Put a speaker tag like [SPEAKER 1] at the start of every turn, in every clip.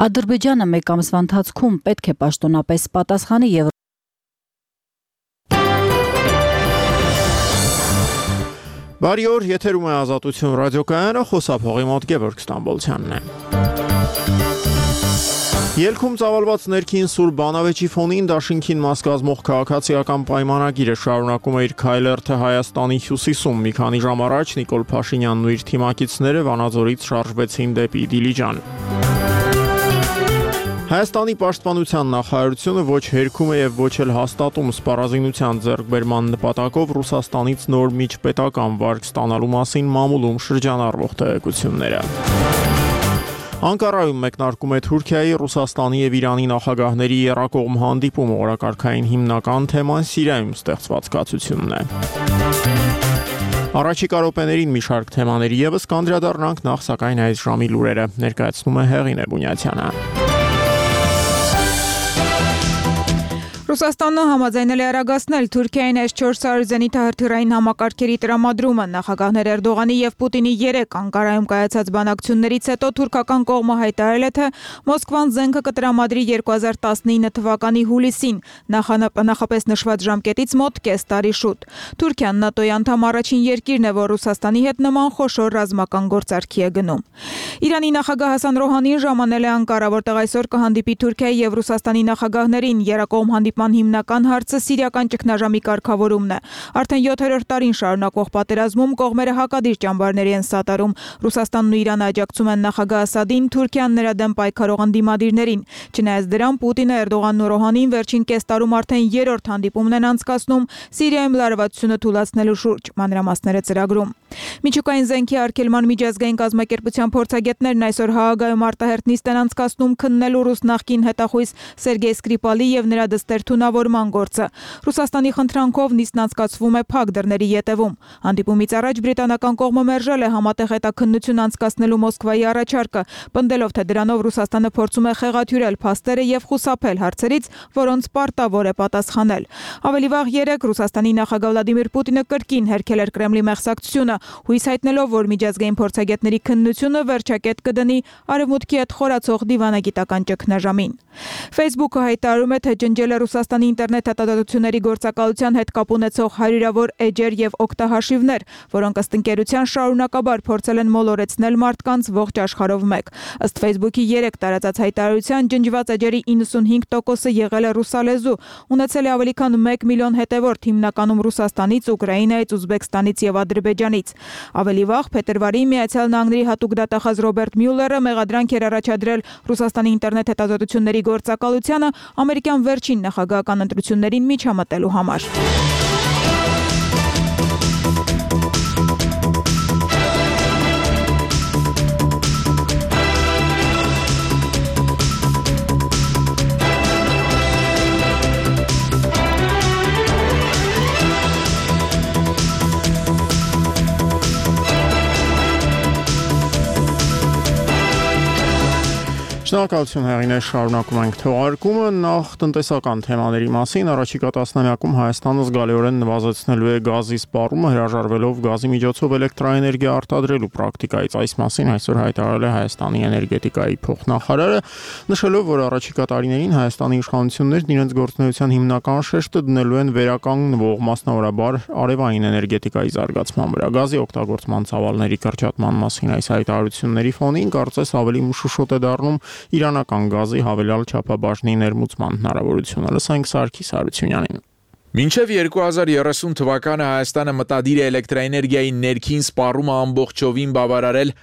[SPEAKER 1] Ադրբեջանը մեկ ամսվա ընթացքում պետք է պաշտոնապես պատասխանի եւ
[SPEAKER 2] Բարի օր, եթերում է Ազատություն ռադիոկայանը, խոսափողի մոտ Գևորգ Ստամբոլցյանն է։ Ելքում ծավալված ներքին սուր բանավեճի ֆոնին դաշինքին մաս կազմող քաղաքացիական պայմանագիրը շարունակում է իր քայլերթը Հայաստանի հյուսիսում։ Մի քանի ժամ առաջ Նիկոլ Փաշինյանն ու իր թիմակիցները Վանաձորից շարժվեցին դեպի Դիլիջան։ Հայաստանի պաշտպանության նախարարությունը ոչ հերքում է եւ ոչ էլ հաստատում սպառազինության ձեռքբերման նպատակով Ռուսաստանից նոր միջպետական վարկ ստանալու մասին մամուլում շրջանառվող տեղեկությունները։ Անկարայում մեկնարկում է Թուրքիայի, Ռուսաստանի եւ Իրանի նախագահների եռակողմ հանդիպումը, օրակարգային հիմնական թեման Սիրիայում ստեղծված կացությունն է։ Առաջիկա րոպեներին մի շարք թեմաների եւս կանդրադառնանք, նախ սակայն այս ժամի լուրերը ներկայացնում է Հեղինե Բունյացյանը։
[SPEAKER 3] Ռուսաստանը համաձայնել է արագացնել Թուրքիային S-400 զենիթահրթիռային համակարգերի տրամադրումը։ Նախագահներ Էրդողանի եւ Պուտինի 3 Անկարայում կայացած բանակցություններից հետո թուրքական կողմը հայտարարել է, թե Մոսկվան զենքը կտրամադրի 2019 թվականի հուլիսին, նախապես նշված ժամկետից մոտ կես տարի շուտ։ Թուրքիան ՆԱՏՕ-ի անդամ առաջին երկիրն է, որ Ռուսաստանի հետ նման խոշոր ռազմական գործարքի է գնում։ Իրանի նախագահ Հասան Ռոհանին ժամանել է Անկարա, որտեղ այսօր կհանդիպի Թուրքիայի եւ Ռուսաստանի նախագահներին։ Երակողմ հանդիպման հիմնական հարցը սիրիական ճգնաժամի կարգավորումն է։ Արդեն 7-րդ տարին շարունակվող պատերազմում կողմերը հակադիր ճամբարների են սատարում։ Ռուսաստանն ու Իրանը աջակցում են նախագահ Ասադին, Թուրքիան նրա դեմ պայքարող ընդդիմադիրներին։ Չնայած դրան, Պուտինը, Էրդողանն ու Ռոհանին վերջին կես տարում արդեն 3-րդ հանդիպումն են անցկացնում Սիրիայում լարվածությունը թուլացնելու շուրջ, մանրամասները ծրագրում։ Միջուկային զենքի արգելման միջազգային կազմակերպության փորձագետներն այսօր Հաագայում արտահերթ նիստ են անցկացնում քննելու ռուս նախկին հետախույզ Սերգեյ Սկրիպալի եւ նրա դստեր թունավորման գործը։ Ռուսաստանի խնդրանքով նիստն անցկացվում է փակ դռների ետևում։ Հանդիպումից առաջ բրիտանական կողմը մերժել է համատեղ հետաքննություն անցկացնելու Մոսկվայի առաջարկը, պնդելով, թե դրանով Ռուսաստանը փորձում է խեղաթյուրել փաստերը եւ խուսափել հարցերից, որոնց պարտավոր է պատասխանել։ Ավելի վաղ 3 Ռուսաստանի նախագահ Վլադիմիր Պուտինը կրկին հերքել էր Կրեմլի մեղսակցությունը, հույս հայտնելով, որ միջազգային փորձագետների քննությունը վերջակետ կդնի արևմուտքի հետ խորացող դիվանագիտական ճգնաժամին։ Facebook-ը հայտարարում է, թե ջնջել է Ռուսաստանի ինտերնետ հետազոտությունների գործակալության հետ կապ ունեցող հարյուրավոր էջեր եւ օգտահաշիվներ, որոնք ըստ ընկերության շարունակաբար փորձել են մոլորեցնել մարդկանց ողջ աշխարհով մեկ։ Ըստ Facebook-ի 3 տարածած հայտարարության, ջնջված էջերի 95%-ը եղել է ռուսալեզու, ունեցել է ավելի քան 1 միլիոն հետևորդ, հիմնականում Ռուսաստանից, Ուկրաինայից, Ուզբեկստանից եւ Ադրբեջանից։ Ավելի վաղ փետրվարին Միացյալ Նահանգների հատուկ դատախազ Ռոբերտ Մյուլլերը մեղադրանք էր առաջադրել Ռուսաստանի ինտերնետ հետազոտությունների գործակալությանը ամերիկյան վերջին նախագահական ընտրություններին միջամտելու համար։
[SPEAKER 2] Շնորհակալություն Հեղինե, շարունակում ենք թողարկումը։ Նախ տնտեսական թեմաների մասին, առաջիկա տասնամյակում Հայաստանը զգալիորեն նվազեցնելու է գազի սպառումը, հրաժարվելով գազի միջոցով էլեկտրաէներգիա արտադրելու պրակտիկայից։ Այս մասին այսօր հայտարարել է Հայաստանի էներգետիկայի փոխնախարարը, նշելով, որ առաջիկա տարիներին Հայաստանի իշխանություններն իրենց գործունեության հիմնական շեշտը դնելու են վերականգնվող, մասնավորաբար արևային էներգետիկայի զարգացման վրա։ Գազի օգտագործման ծավալների կրճատման մասին այս հայտարարությունների ֆոնին կարծես ավելի մշուշոտ է դառնում իրանական գազի հավելյալ չափաբաժնի ներմուծման հնարավորությունը։ Լսենք Սարգիս Հարությունյանին։
[SPEAKER 4] Մինչև 2030 թվականը Հայաստանը մտադիր է էլեկտրաէներգիայի ներքին սպառումը ամբողջովին բավարարել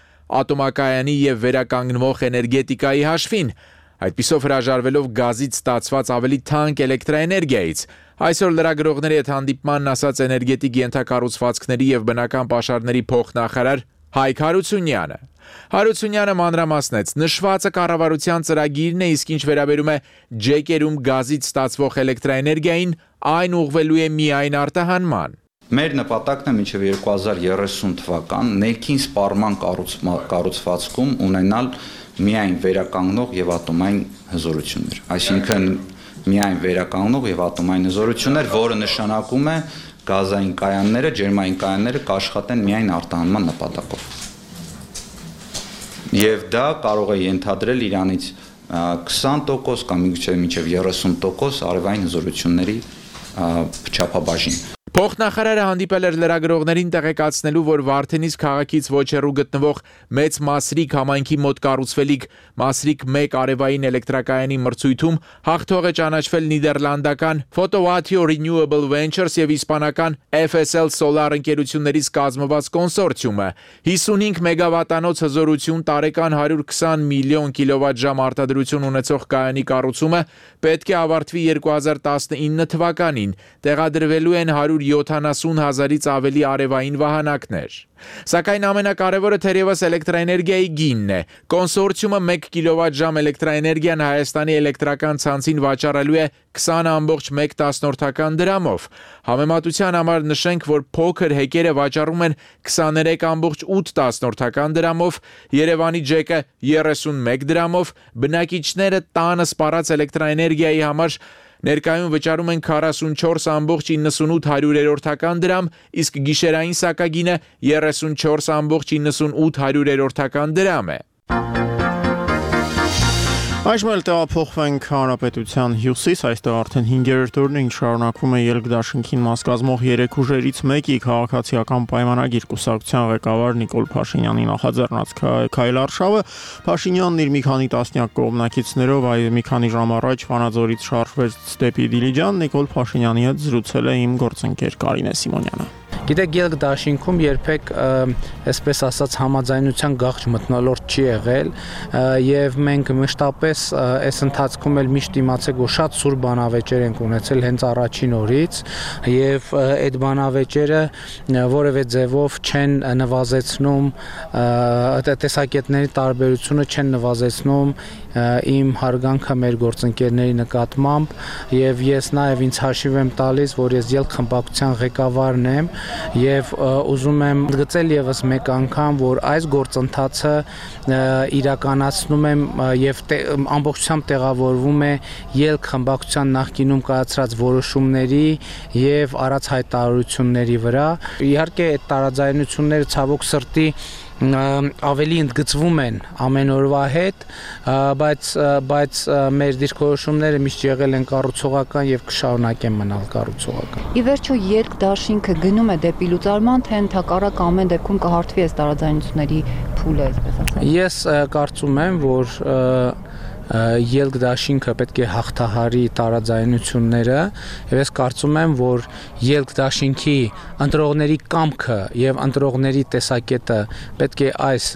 [SPEAKER 4] ատոմակայանի եւ վերականգնվող էներգետիկայի հաշվին, այդպիսով հրաժարվելով գազից ստացված ավելի թանկ էլեկտրաէներգիայից։ Այսօր լրագրողների հետ հանդիպմանն ասաց էներգետիկ ենթակառուցվածքների եւ բնական պաշարների փոխնախարար Հայկ Հարությունյանը։ Հարությունյանը մանրամասնեց, նշվածը կառավարության ծրագիրն է, իսկ ինչ վերաբերում է ջեկերում գազից ստացվող էլեկտրաէներգիային, այն ուղղվելու է միայն արտահանման։
[SPEAKER 5] Մեր նպատակն է մինչև 2030 թվական ներքին սպառման կառուցվածքում ունենալ միայն վերականգնող եւ ատոմային հզորություններ, այսինքն միայն վերականգնող եւ ատոմային հզորություններ, որը նշանակում է գազային կայանները, ջերմային կայանները կաշխատեն միայն արտահանման նպատակով։ Եվ դա կարող է ենթադրել Իրանից 20% կամ մինչև 30% արևային հզորությունների չափաբաժին։
[SPEAKER 4] Փոխնախարարը հանդիպել էր լրագրողներին տեղեկացնելու, որ Վարդենից քաղաքից ոչ հեռու գտնվող մեծ Մասրիկ համայնքի մոտ կառուցվելիք Մասրիկ 1 արևային էլեկտրակայանի մրցույթում հաղթող է ճանաչվել նիդերլանդական Photowattio Renewable Ventures եւ իսպանական FSL Solar ընկերություններից կազմված կոնսորցիումը 55 մեգավատանոց հզորություն տարեկան 120 միլիոն կիլովատժամ արտադրություն ունեցող կայանի կառուցումը պետք է ավարտվի 2019 թվականին, տեղադրվելու են 170,000-ից ավելի արևային վահանակներ։ Սակայն ամենակարևորը թերևս էլեկտրաէներգիայի գինն է։ Կոնսորցիումը 1 կիլովատժամ էլեկտրաէներգիան Հայաստանի էլեկտրական ցանցին վաճառելու է 20.1 դրամով։ Համեմատության համար նշենք, որ փոքր հեկերը վաճառում են 23.8 դրամով, Երևանի ջեկը 31 դրամով, բնակիչները տանը սպառած էլեկտրաէներգիայի համար ներկայում վճարում են 44.98 դրամ, իսկ գիշերային սակագինը 34.98 դրամ է։
[SPEAKER 2] Այժմ էլ տեղափոխվենք Հանրապետության հյուսիս, այստեղ արդեն 5-րդ օրն է, ինչ շարունակվում է ելք դաշինքին մաս կազմող 3 ուժերից մեկի քաղաքացիական պայմանագիր կուսակցության ղեկավար Նիկոլ Փաշինյանի նախաձեռնած քայլարշավը Փաշինյանն իր մի քանի տասնյակ կողմնակիցներով մի քանի ժամ առաջ Վանաձորից շարժվեց դեպի Դիլիջան, Նիկոլ Փաշինյանի հետ զրուցել է իմ գործընկեր Կարինե Սիմոնյանը։
[SPEAKER 6] Գիտեք, ելք դաշինքում երբեք այսպես ասած համաձայնության գաղջ մթնոլորտ չի եղել եւ մենք մշտապես այս ընթացքում էլ միշտ իմացեք, որ շատ սուր բանավեճեր ենք ունեցել հենց առաջին օրից եւ այդ բանավեճերը որևէ ձևով չեն նվազեցնում տեսակետների տարբերությունը չեն նվազեցնում իմ հարգանքը մեր գործընկերների նկատմամբ եւ ես նաեւ ինձ հաշիվ եմ տալիս, որ ես ելք խմբակցության ղեկավարն եմ եւ ուզում եմ ընդգծել եւս մեկ անգամ, որ այս գործընթացը իրականացնում եմ եւ ամբողջությամբ տեղավորվում է ելք խմբակցության նախկինում կայացրած որոշումների եւ արած հայտարարությունների վրա։ Իհարկե այդ տարաձայնությունները ցավոք սրտի ավելի ընդգծվում են ամեն օրվա հետ, բայց մեր դիրքորոշումները միշտ եղել են կառուցողական եւ կշարունակեն մնալ կառուցողական։
[SPEAKER 7] Ի վերջո ելք դաշինքը գնում է դեպի լուծարման, թե ընդհակառակ ամեն դեպքում կհարթվի այս տարաձայնությունների փուլը, այսպես ասած։
[SPEAKER 6] Ես կարծում եմ, որ ելք դաշինքը պետք է հաղթահարի տարաձայնությունները եւ ես կարծում եմ, որ ելք դաշինքի ընտրողների կամքը եւ ընտրողների տեսակետը պետք է այս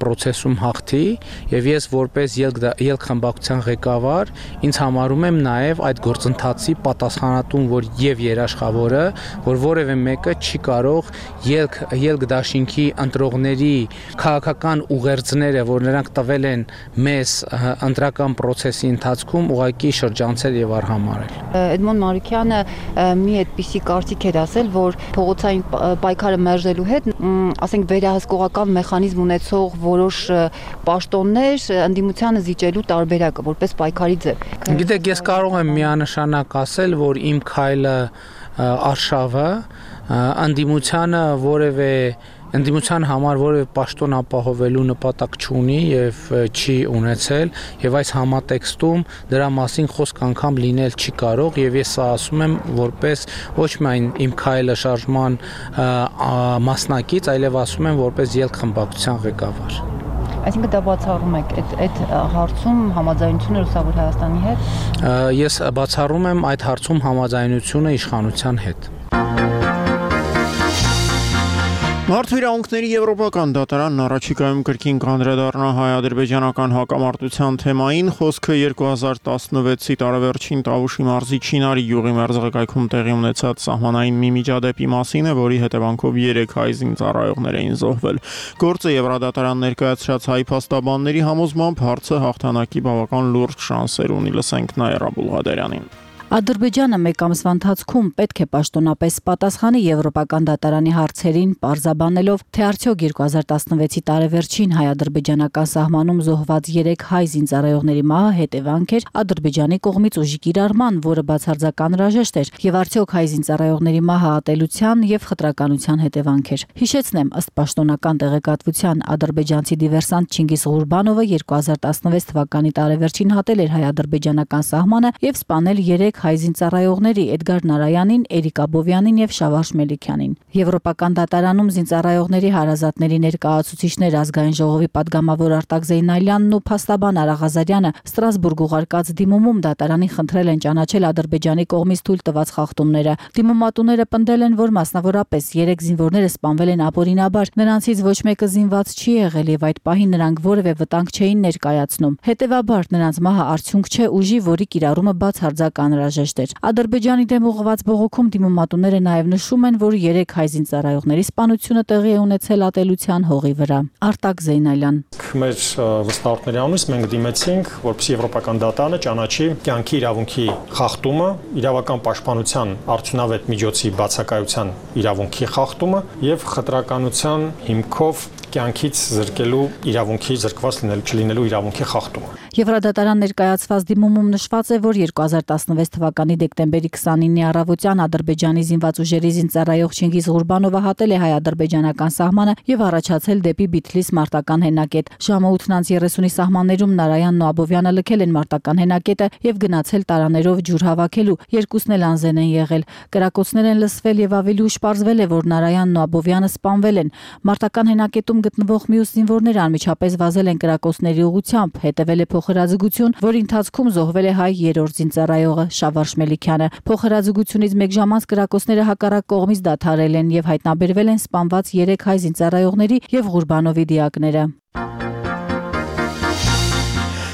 [SPEAKER 6] process-ում հաղթի եւ ես որպես ելք խմբակցության ղեկավար ինձ համարում եմ նաեւ այդ գործընթացի պատասխանատուն, որ եւ երաշխավորը, որ որևէ մեկը չի կարող ելք դաշինքի ընտրողների քաղաքական ուղերձները, որ նրանք տվել են մեզ process-ի ընթացքում ուղղակի շրջանցել եւ արհամարել։
[SPEAKER 7] Էդմոն Մարուկյանը մի այդպիսի կարծիք էր ասել, որ փողոցային պայքարը մերժելու հետ, ասենք վերահսկողական մեխանիզմ ունեցող որոշ պաշտոններ ընդդիմությանը զիջելու տարբերակը որպես պայքարի ձև։
[SPEAKER 6] Գիտեք, ես կարող եմ միանշանակ ասել, որ իմ քայլը արշավը ընդդիմության համար որևէ պաշտոն ապահովելու նպատակ չունի եւ չի ունեցել եւ այս համատեքստում դրա մասին խոսք անգամ լինել չի կարող եւ ես սա ասում եմ որպես ոչ միայն իմ քայլը շարժման մասնակից, այլև ասում եմ որպես ելք խմբակցության ղեկավար։
[SPEAKER 7] Այսինքն դա բացառում եք այդ հարցում համաձայնությունը Լուսավոր Հայաստանի հետ։
[SPEAKER 6] Ես բացառում եմ այդ հարցում համաձայնությունը իշխանության հետ։
[SPEAKER 2] Մարդու իրավունքների եվրոպական դատարանն առաջիկայում կրկին կանդրադառնա հայ-ադրբեջանական հակամարտության թեմային, խոսքը 2016-ի տարեվերջին Տավուշի մարզի Չինարի գյուղի մերձակայքում տեղի ունեցած սահմանային մի միջադեպի մասին է, որի հետևանքով 3 հայ զինծառայողներ էին զոհվել։ Գործը Եվրադատարան ներկայացրած հայ փաստաբանների համոզմամբ հարցը հաղթանակի բավական լուրջ շանսեր ունի, լսենք Նաիրա Բուլղադարյանին։
[SPEAKER 1] Ադրբեջանը մեկ ամսվա ընթացքում պետք է պաշտոնապես պատասխանի Եվրոպական դատարանի հարցերին, պարզաբանելով, թե արդյոք 2016-ի տարեվերջին հայ-ադրբեջանական սահմանում զոհված 3 հայ զինծառայողների մահը հետևանք էր Ադրբեջանի կողմից ուժի կիրառման, որը բացարձակ անհրաժեշտ էր, եւ արդյոք հայ զինծառայողների մահը ատելության եւ խտրականության հետևանք էր։ Հիշեցնեմ, ըստ պաշտոնական տեղեկատվության, ադրբեջանցի դիվերսանտ Չինգիզ Ղուրբանովը 2016 թվականի տարեվերջին հատել էր հայ-ադրբեջանական սահմանը եւ սպանել 3 հայ զինծառայողների Էդգար Նարայանին, Էրիկ Աբովյանին եւ Շավարժ Մելիքյանին։ Եվրոպական դատարանում զինծառայողների հարազատների ներկայացուցիչներ ազգային ժողովի падգամավոր Արտակ Զեյնալյանն ու փաստաբան Արա Ղազարյանը Ստրասբուրգ ուղարկած դիմումում դատարանին խնդրել են ճանաչել Ադրբեջանի կողմից թույլ տված խախտումները։ Դիմումատուները պնդել են, որ մասնավորապես 3 զինվորները սպանվել են ապօրինաբար, նրանցից ոչ մեկը զինված չի եղել եւ այդ պահին նրանք որևէ վտանգ չէին ներկայացնում։ Հետևաբար նրանց մահը արդյունք չէ ուժի, որի կիրառումը բացարձակ անհրաժեշտ էր։ Ադրբեջանի դեմ ուղղված բողոքում դիմումատուները նաև նշում են, որ 3 հայ զինծառայողների սպանությունը տեղի է ունեցել ատելության հողի վրա։ Արտակ Զեյնալյան։
[SPEAKER 8] Մեր վստահորդների անունից մենք դիմեցինք, որպեսզի Եվրոպական դատարանը ճանաչի կյանքի իրավունքի խախտումը, իրավական պաշտպանության արդյունավետ միջոցի բացակայության իրավունքի խախտումը եւ խտրականության հիմքով կյանքից զրկելու իրավունքի զրկված չլինելու իրավունքի խախտումը։
[SPEAKER 1] Եվրադատարան ներկայացված դիմումում նշված է, որ 2016 թվականի դեկտեմբերի 29-ի առավոտյան Ադրբեջանի զինված ուժերի զինծառայող Չինգիզ Ղուրբանովը հատել է հայ-ադրբեջանական սահմանը եւ առաջացել դեպի Բիթլիս մարտական հենակետ։ Ժամը 8:30-ի սահմաններում Նարայանն ու Աբովյանը լքել են մարտական հենակետը եւ գնացել տարաներով ջուր հավաքելու։ Երկուսն էլ անզեն են եղել։ Կրակոցներ են լսվել եւ ավելի ուշ պարզվել է, որ Նարայանն ու Աբովյանը սպանվել են։ Մարտական հենակետում գտնվող մյուս զինվորները անմիջապես վազել են կրակոցների ուղղությամբ, հետևել է փոխհրաձգություն, որի ընթացքում զոհվել է հայ 3-րդ զինծառայողը Շավարժ Մելիքյանը։ Փոխհրաձգությունից մեկ ժամ անց կրակոցները հակառակ կողմից դադարել են եւ հայտնաբերվել են սպանված 3 հայ զինծառայողների եւ Ղուրբանովի դիակները։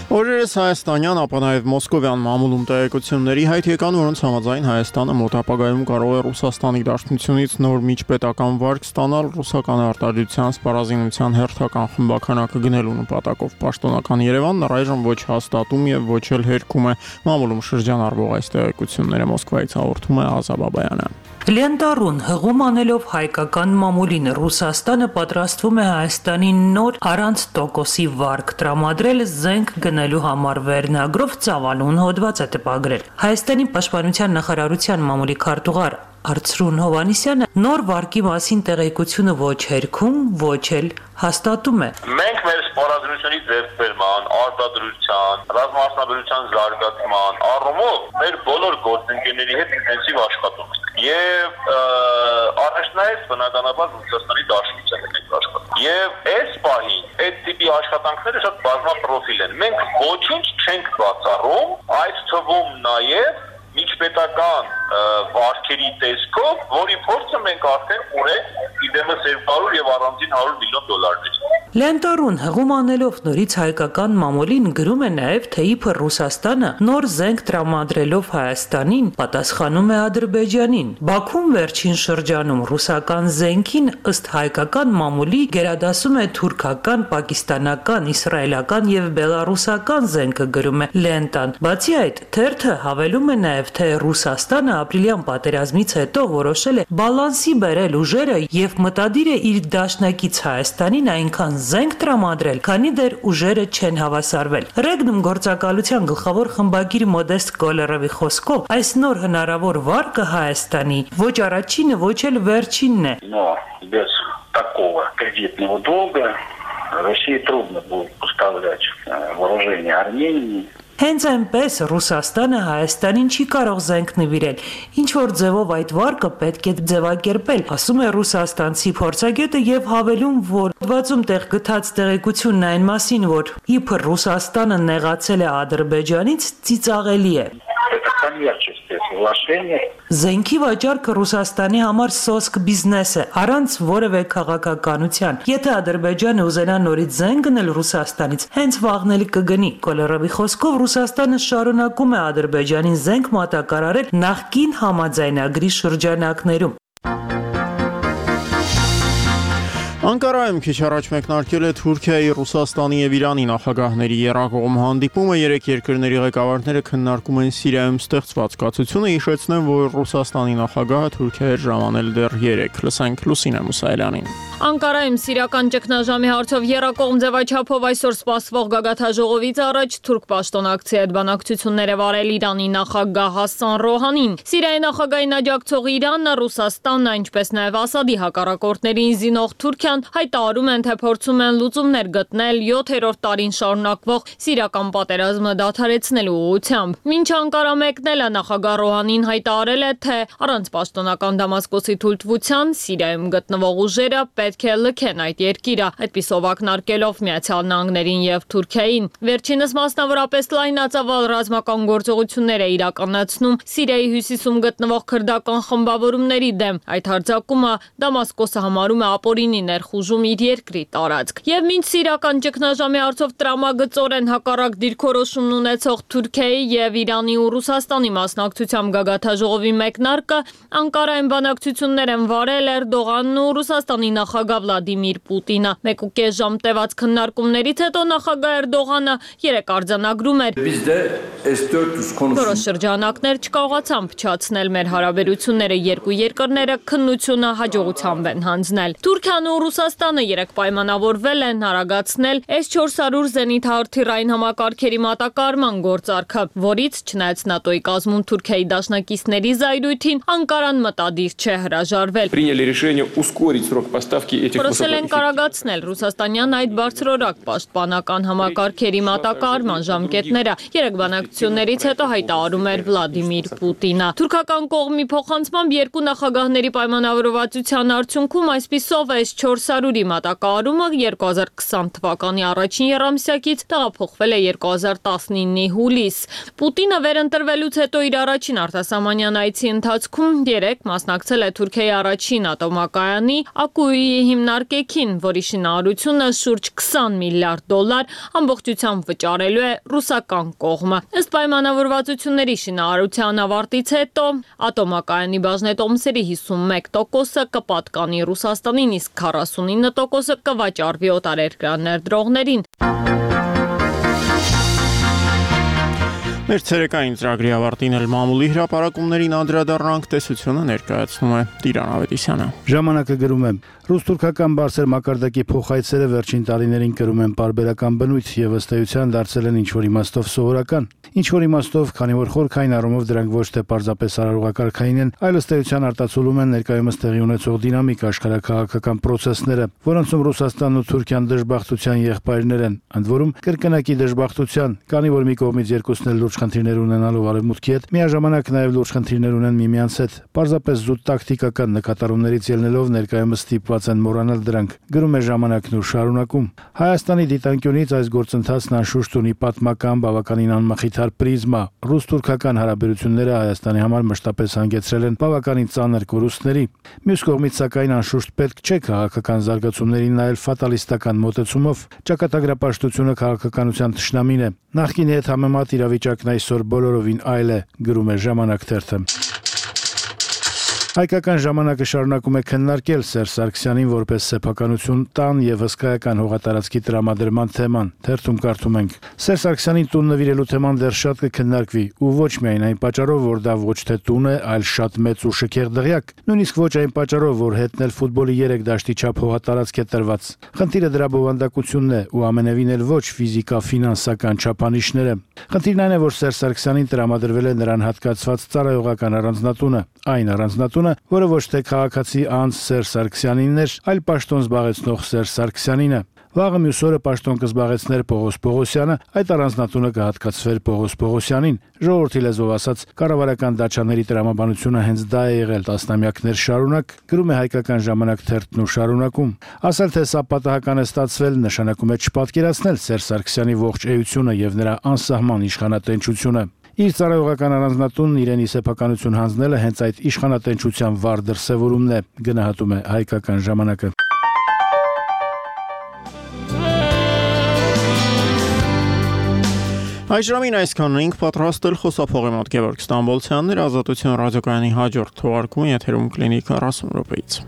[SPEAKER 2] Օրերս հայաստանյան, ապա նաև մոսկովյան մամուլում տեղեկությունների հայտ եկան, որոնց համաձայն Հայաստանը մոտ ապագայում կարող է Ռուսաստանի Դաշնությունից նոր միջպետական վարկ ստանալ ռուսական արտադրության սպառազինության հերթական խմբականակը գնելու նպատակով։ Պաշտոնական Երևանն առայժմ ոչ հաստատում եւ ոչ էլ հերքում է մամուլում շրջանառվող այս տեղեկությունները։ Մոսկվայից հաղորդում է Ազա Բաբայանը։
[SPEAKER 9] Լենտարուն հղում անելով հայկական մամուլին Ռուսաստանը պատրաստվում է Հայաստանին նոր առանց տոկոսի վարկ տրամադրել զենք գնելու համար վերնագրով ծավալուն հոդված է տպագրել։ Հայաստանի պաշտպանության նախարարության մամուլի քարտուղար Արծրուն Հովանիսյանը նոր վարկի մասին տեղեկությունը ոչ հերքում, ոչ էլ հաստատում է։
[SPEAKER 10] Մենք մեր սպառազինությունից ձեռքբերման, արտադրության, ռազմաարդյունաբերության զարգացման առումով մեր բոլոր գործընկերների հետ ինտենսիվ աշխատում ենք։ Եվ առաջնահերթ բնականաբար Ռուսաստանի Դաշնության հետ ենք աշխատում։ Եվ այս պահին այդ տիպի աշխատանքները շատ բազմապրոֆիլ են։ Մենք ոչինչ չենք բացառում, այդ թվում նաև միջպետական վարկերի տեսքով, որի փորձը մենք արդեն ունենք իդեմս 200 եւ առանձին $100 միլիոն։
[SPEAKER 9] Լենտարուն հղում անելով նորից հայկական մամուլին գրում է նաև, թե իբր Ռուսաստանը նոր զենք տրամադրելով Հայաստանին պատասխանում է Ադրբեջանին։ Բաքուն վերջին շրջանում ռուսական զենքին ըստ հայկական մամուլի գերադասում է թուրքական, պակիստանական, իսրայելական եւ բելարուսական զենքը, գրում է լենտան։ Բացի այդ, թերթը հավելում է նաև, թե Ռուսաստանը ապրիլյան պատերազմից հետո որոշել է բալանսի բերել ուժերը եւ մտադիր է իր դաշնակից Հայաստանին այնքան զենք տրամադրել, քանի դեռ ուժերը չեն հավասարվել։ Ռեգնում գործակալության гլխավոր խմբագիր Մոդեստ Կոլերովի խոսքով այս նոր հնարավոր վարկը Հայաստանի ոչ առաջինը, ոչ էլ վերջինն է։
[SPEAKER 11] Без такого кредитного долга России трудно будет поставлять вооружение Армении.
[SPEAKER 9] Հենց այնպես Ռուսաստանը Հայաստանին չի կարող զենք նվիրել, ինչ որ ձևով այդ վարկը պետք է ձևակերպել, ասում է ռուսաստանցի փորձագետը եւ հավելում, որ հոդվածում տեղ գտած տեղեկությունն այն մասին, որ իբր Ռուսաստանը նեղացել է Ադրբեջանից, ծիծաղելի է։ Զենքի վաճառքը Ռուսաստանի համար սոսկ բիզնես է, առանց որևէ քաղաքականության։ Եթե Ադրբեջանը ուզենա նորից զենք գնել Ռուսաստանից, հենց վաղն էլ կգնի։ Կոլերովի խոսքով Ռուսաստանը շարունակում է Ադրբեջանին զենք մատակարարել նախկին համաձայնագրի շրջանակներում։
[SPEAKER 2] Անկարայում քիչ առաջ մեկնարկել է Թուրքիայի, Ռուսաստանի եւ Իրանի նախագահների եռակողմ հանդիպումը, երեք երկրների ղեկավարները քննարկում են Սիրիայում ստեղծված կացությունը, հիշեցնեմ, որ Ռուսաստանի նախագահը Թուրքիա էր ժամանել դեռ 3, լսենք Լուսինե Մուսայելյանին։
[SPEAKER 12] Անկարայում սիրիական ճգնաժամի հարցով եռակողմ ձևաչափով այսօր սպասվող գագաթաժողովից առաջ թուրք պաշտոնակցի հետ բանակցություններ է վարել Իրանի նախագահ Հասան Ռոհանին։ Սիրիայի նախագահին աջակցող Իրանը, Ռուսաստանն, ինչպես նաև Ասադի հակառակորդներին զինող Թուրքիան հայտարարում են, թե փորձում են լուծումներ գտնել 7-րդ տարին շարունակվող սիրիական պատերազմը դադարեցնելու ուղղությամբ։ Մինչ Անկարա մեկնելը նախագահ Ռոհանին հայտարարել է, թե առանց պաշտոնական Դամասկոսի թույլտվության Սիրիայում գտնվող ուժերը պետք է լքեն այդ երկիրը, այդպիսով ակնարկելով Միացյալ Նահանգներին եւ Թուրքիային։ Վերջինս մասնավորապես լայնածավալ ռազմական գործողություններ է իրականացնում Սիրիայի հյուսիսում գտնվող քրդական խմբավորումների դեմ։ Այդ հարձակումը Դամասկոսը համարում է ապօրինի ներխուժում իր երկրի տարածք։ Եվ մինչ սիրիական ճգնաժամի հարցով տրամագծորեն հակառակ դիրքորոշումն ունեցող Թուրքիայի եւ Իրանի ու Ռուսաստանի մասնակցությամբ գագաթաժողովի մեկնարկը Անկարայում բանակցություններ են վարել Էրդողանն ու Ռուսաստանի նախագահ Վլադիմիր Պուտինը։ 1.5 ժամ տևած քննարկումներից հետո նախագահ Էրդողանը 3 արձանագրում էր։ Որոշ շրջանակներ չկարողացան փչացնել մեր հարաբերությունները, երկու երկրները քննությունը հաջողությամբ են հանձնել։ Թուրքիան ու Ռուսաստանը 3 պայմանավորվել են արագացնել S-400 զենիթահրթիռային համակարգերի մատակարարման գործարքը, որից չնայած ՆԱՏՕ-ի կազմում Թուրքիայի դաշնակիցների զայրույթին Անկարան մտադիր չէ հրաժարվել։ Որոշել են կարագացնել ռուսաստանյան այդ բարձրորակ պաշտպանական համակարգերի մատակարարման ժամկետները, 3 բանակցություններից հետո հայտարարում էր Վլադիմիր Պուտինը։ Թուրքական կողմի փոխանցմամբ երկու նախագահների պայմանավորվածության արդյունքում այսպիսով S-400-ի մատակարարումը 2020 թվականի առաջին եռամսյակից տեղափոխվել է 2019-ի հուլիս։ Պուտինը վերընտրվելուց հետո իր առաջին արտասահմանյան այցի ընթացքում 3 մասնակցել է Թուրքիայի առաջին ատոմակայանի Ակուիի հիմնարկեքին, որի շինարարությունը շուրջ $20 միլիարդ ամբողջությամբ վճարելու է ռուսական կողմը։ Ըստ պայմանավորվածությունների շինարարության ավարտից հետո ատոմակայանի բաժնետոմսերի 51%-ը կպատկանի Ռուսաստանին, իսկ 49%-ը կվաճառվի օտարերկրյա ներդրողներին։
[SPEAKER 2] Մեր ցերեկային ծրագրի ավարտին էլ մամուլի հրապարակումներին անդրադառնանք, տեսությունը ներկայացնում է Տիրան Ավետիսյանը։
[SPEAKER 13] Ժամանակը գրում է. Ռուս-թուրքական բարձր մակարդակի փոխայցերը վերջին տարիներին կրում են պարբերական բնույթ եւ ըստ էության դարձել են ինչ-որ իմաստով սովորական։ Ինչ-որ իմաստով, քանի որ խորքային առումով դրանք ոչ թե պարզապես արարողակարգային են, այլ ըստ էության արտացոլում են ներկայումս տեղի ունեցող դինամիկ աշխարհակաղակական process-ները, որոնցում Ռուսաստանն ու Թուրքիան դժբախտության եղբայրներ են, ընդ որում կրկնակի դժբախտության, քանի որ մի կողմից երկուսն էլ լուրջ խնդիրներ ունենալով արևմուտքի հետ, միաժամանակ նաև լուրջ խնդիրներ ունեն միմյանց հետ, պարզապես զուտ տակտիկական նկատառումներից ելնելով ներկայումս ստիպված են մոռանալ դրանք, գրում է Ժամանակն ու շարունակում։ Հայաստանի դիտանկյունից այս գործընթացն անշուշտ ունի պատմական բավականին անմխիթար պրիզմա։ Ռուս-թուրքական հարաբերությունները Հայաստանի համար մշտապես հանգեցրել են բավականին ծանր կորուստների։ Մյուս կողմից, սակայն, անշուշտ պետք չէ քաղաքական զարգացումներին նայել ֆատալիստական մոտեցումով։ Ճակատագրապաշտությունը քաղաքականության թշնամին է։ Նախկինի հետ համեմատ իրավիճակն այսօր բոլորովին այլ է, գրում է Ժամանակ թերթը։ Հայկական ժամանակը շարունակում է քննարկել Սերժ Սարգսյանին որպես սեփականություն տան եւ հսկայական հողատարածքի տրամադրման թեման։ Թերթում կարդում ենք. Սերժ Սարգսյանին տուն նվիրելու թեման դեռ շատ կքննարկվի, ու ոչ միայն այն պատճառով, որ դա ոչ թե տուն է, այլ շատ մեծ ու շքեղ դղյակ, նույնիսկ ոչ այն պատճառով, որ հետնել ֆուտբոլի 3 դաշտի չափ հողատարածք է տրված։ Խնդիրը դրա բովանդակությունն է ու ամենևին էլ ոչ ֆիզիկա-ֆինանսական չափանիշները։ Խնդիրն այն է, որ Սերժ Սարգսյանին տրամադրվել է նրան հատկացված ծառայողական առանձնատունը, այն առանձնատունը, որը ոչ թե քաղաքացի անձ Սերժ Սարգսյանինն էր, այլ պաշտոն զբաղեցնող Սերժ Սարգսյանինը։ Վաղը մյուս օրը պաշտոն կզբաղեցներ Պողոս Պողոսյանը, այդ առանձնատունը կհատկացվեր Պողոս Պողոսյանին։ Ժողովրդի լեզվով ասած, կառավարական դաշաների տրամաբանությունը հենց դա է եղել տասնամյակներ շարունակ, գրում է Հայկական ժամանակ թերթն ու շարունակում։ Ասել թե սա պատահական է ստացվել, նշանակում է չպատկերացնել Սերժ Սարգսյանի ողջ էությունը եւ նրա անսահման իշխանատենչությունը։ Իր ծառայողական առանձնատունն իրենի սեփականություն հանձնելը հենց այդ իշխանատենչության վառ դրսևորումն է, գնահատում է Հայկական ժամանակը։
[SPEAKER 2] Այս ժամին այսքանն ենք պատրաստել խոսափողի մոտ Գևորգ Ստամբոլցյանն էր, Ազատություն ռադիոկայանի հաջորդ թողարկումը եթերում կլինի 40 րոպեից։